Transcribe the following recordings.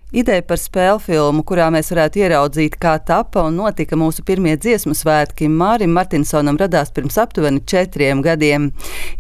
Ideja par spēļu filmu, kurā mēs varētu ieraudzīt, kā tapa un notika mūsu pirmie dziesmu svētki, Mārim Martinsonam radās pirms aptuveni 4 gadiem.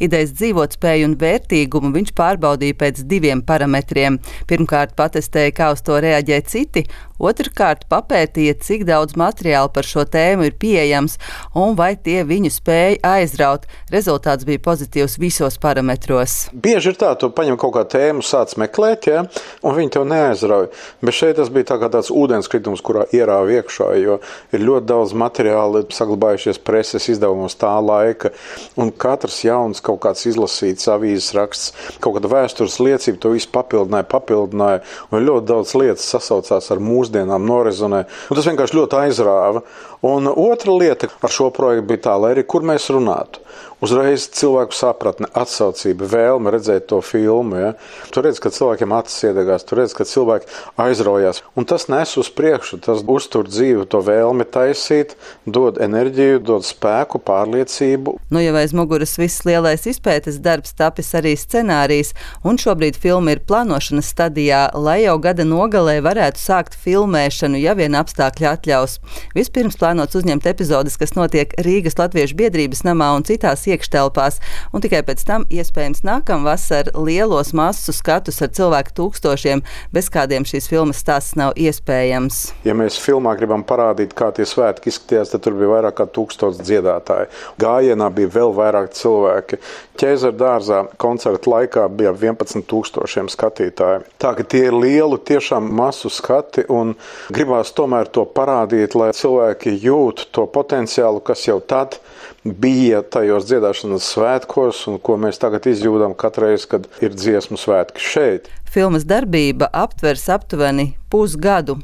Idejas dzīvotspēju un vērtīgumu viņš pārbaudīja pēc 2 parametriem. Pirmkārt, patestēja, kā uz to reaģē citi, otrkārt, papētīja, cik daudz materiāla par šo tēmu ir pieejams un vai tie viņu spēja aizraut. Rezultāts bija pozitīvs visos parametros. Bieži ir tā, tu paņem kaut kā tēmu, sāc meklēt, ja, un viņi tev neaizrauj. Bet šeit tas bija tāds ūdenskritums, kurā ierāva iekšā, jo ir ļoti daudz materiāla saglabājušies preses izdevumos tā laika, un katrs jauns kaut kāds izlasīts avīzes raksts, kaut kāda vēstures liecība, to visu papildināja, un ļoti daudz lietas sasaucās ar mūsdienām, norezonē, un tas vienkārši ļoti aizrāva. Un otra lieta ar šo projektu bija tā, lai arī kur mēs runātu. Uzreiz cilvēku sapratne, atsaucība, vēlme redzēt to filmu. Ja? Tu redz, ka cilvēkiem acis iedegās, tu redz, ka cilvēki aizraujās. Un tas nes uz priekšu, tas uztur dzīvi, to vēlmi taisīt, dod enerģiju, dod spēku, pārliecību. Nu jau aiz muguras viss lielais izpētes darbs, tapis arī scenārijs, un šobrīd filma ir plānošanas stadijā, lai jau gada nogalē varētu sākt filmēšanu, ja vien apstākļi atļaus. Vispirms plānots uzņemt epizodes, kas notiek Rīgas Latviešu biedrības namā un citās iekštelpās, un tikai pēc tam iespējams nākamvasar lielos masu skatus ar cilvēku tūkstošiem, bez kādiem šīs filmas stāsts nav iespējams. Ja mēs filmā gribam parādīt, kā tie svētki izskatījās, tad tur bija vairāk kā 1000 dziedātāji. Gājienā bija vēl vairāk cilvēki. Ķēzara dārzā koncerta laikā bija 11,000 skatītāji. Tā ka tie ir lielu tiešām masu skati, un gribās tomēr to parādīt, lai cilvēki jūt to potenciālu, kas jau tad bija tajos dziedāšanas svētkos, un ko mēs tagad izjūdam katreiz, kad ir dziesmu svētki šeit. Filmas darbība aptvers aptuveni pusgadu.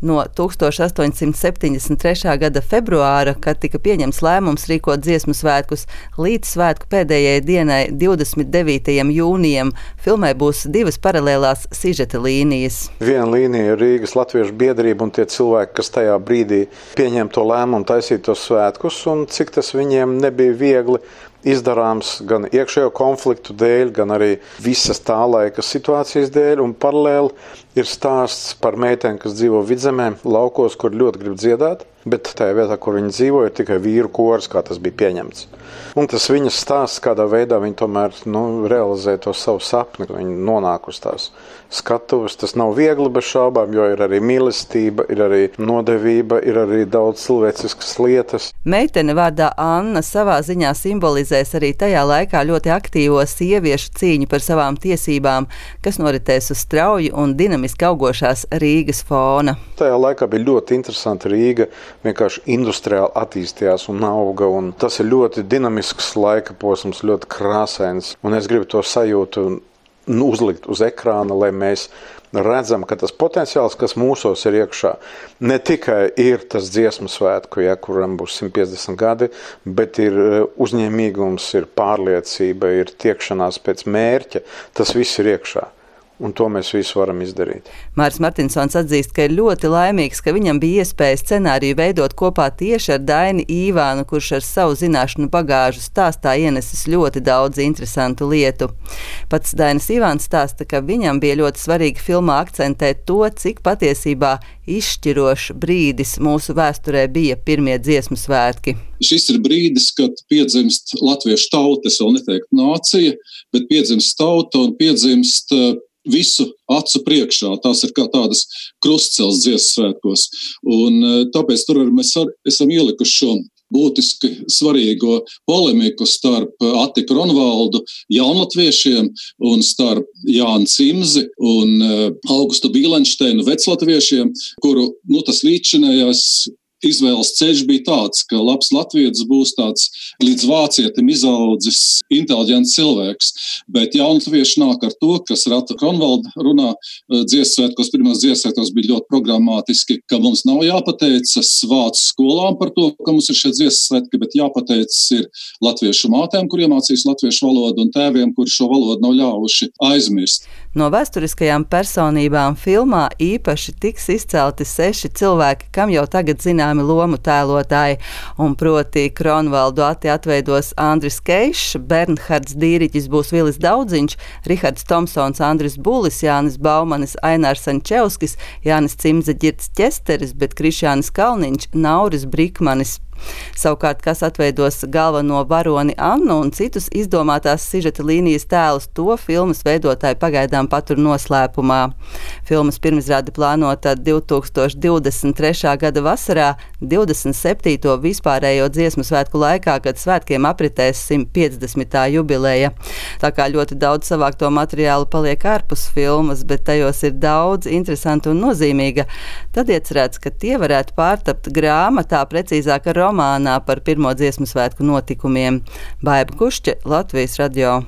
No 1873. gada februāra, kad tika pieņemts lēmums rīkot dziesmu svētkus, līdz svētku pēdējai dienai, 29. jūnijam, filmai būs 2 paralēlās sižeta līnijas. Viena līnija ir Rīgas Latviešu biedrība un tie cilvēki, kas tajā brīdī pieņem to lēmumu taisīt tos svētkus, un cik tas viņiem nebija viegli izdarāms gan iekšējo konfliktu dēļ, gan arī visas tā laika situācijas dēļ, un paralēli ir stāsts par meitēm, kas dzīvo Vidzemē, laukos, kur ļoti grib dziedāt, bet tajā vietā, kur viņi dzīvo, ir tikai vīru kors, kā tas bija pieņemts. Un tas viņas stāsts, kādā veidā viņi tomēr realizē to savu sapni, ka viņi nonāk uz tās skatuves. Tas nav viegli bez šaubām, jo ir arī mīlestība, ir arī nodevība, ir arī daudz cilvēciskas lietas. Meitene vārdā Anna savā ziņā simbolizēs arī tajā laikā ļoti aktīvo sieviešu cīņu par savām tiesībām, kas noritēs uz strauji un dinamiski augošās Rīgas fona. Tajā laikā bija ļoti interesanti Rīga, vienkārši industriāli attīstījās un auga, un tas ir ļoti dinamisks laika posms, ļoti krāsains, un es gribu to sajūtu uzlikt uz ekrāna, lai mēs redzam, ka tas potenciāls, kas mūsos ir iekšā, ne tikai ir tas dziesmu svētku, kuram būs 150 gadi, bet ir uzņēmīgums, ir pārliecība, ir tiekšanās pēc mērķa, tas viss ir iekšā. Un to mēs visu varam izdarīt. Māris Martinsons atzīst, ka ir ļoti laimīgs, ka viņam bija iespēja scenāriju veidot kopā tieši ar Daini Īvānu, kurš ar savu zināšanu bagāžu stāstā ienesis ļoti daudz interesantu lietu. Pats Dainis Īvāns stāsta, ka viņam bija ļoti svarīgi filmā akcentēt to, cik patiesībā izšķirošs brīdis mūsu vēsturē bija pirmie dziesmu svētki. Šis ir brīdis, kad piedzimst latviešu tauta, es vēl neteiktu nācija, bet piedzimst tauta un piedzimst visu acu priekšā. Tās ir kā tādas krustcels dziesmu svētkos. Un tāpēc tur mēs esam ielikuši šo būtiski svarīgo polemiku starp Attiku Ronvaldu, jaunlatviešiem, un starp Jānu Cimzi un Augustu Bīlenšteinu, veclatviešiem, kuru tas līdzinājās izvēles ceļš bija tāds, ka labs latvietis būs tāds līdz vācietim izaudzis inteliģents cilvēks, bet jaunatvieši nāk ar to, kas ar Attiku Ronvaldu runā dziesmu svētkos, pirmās dziesmu svētkos bija ļoti programmatiski, ka mums nav jāpateicas vācu skolām par to, ka mums ir šie dziesmu svētki, bet jāpateicas ir latviešu mātēm, kur iemācīs latviešu valodu, un tēviem, kuri šo valodu nav ļāvuši aizmirst. No vēsturiskajām personībām filmā īpaši tiks izcelti 6 cilvēki, kam jau tagad zināmi lomu tēlotāji, un proti Kronvaldu Ati atveidos Andris Keišs, Bernhards Dīriķis būs Vilis Daudziņš, Rihards Tomsons, Andris Bulis, Jānis Baumanis, Ainārs Sančevskis, Jānis Cimze, Ģirds Ķesteris, bet Krišjānis Kalniņš, Nauris Brikmanis. Savukārt, kas atveidos galveno varoni Annu un citus izdomātās sižeta līnijas tēlus, to filmas veidotāji pagaidām patur noslēpumā. Filmas pirmizrāde plānota 2023. gada vasarā, 27. vispārējo dziesmu svētku laikā, kad svētkiem apritēs 150. jubileja. Tā kā ļoti daudz savākto materiālu paliek ārpus filmas, bet tajos ir daudz interesantu un nozīmīga, tad iecerēts, ka tie varētu pārtapt grāmatā, precīzāk romānā par pirmo dziesmu svētku notikumiem. Baiba Kušķe, Latvijas radio.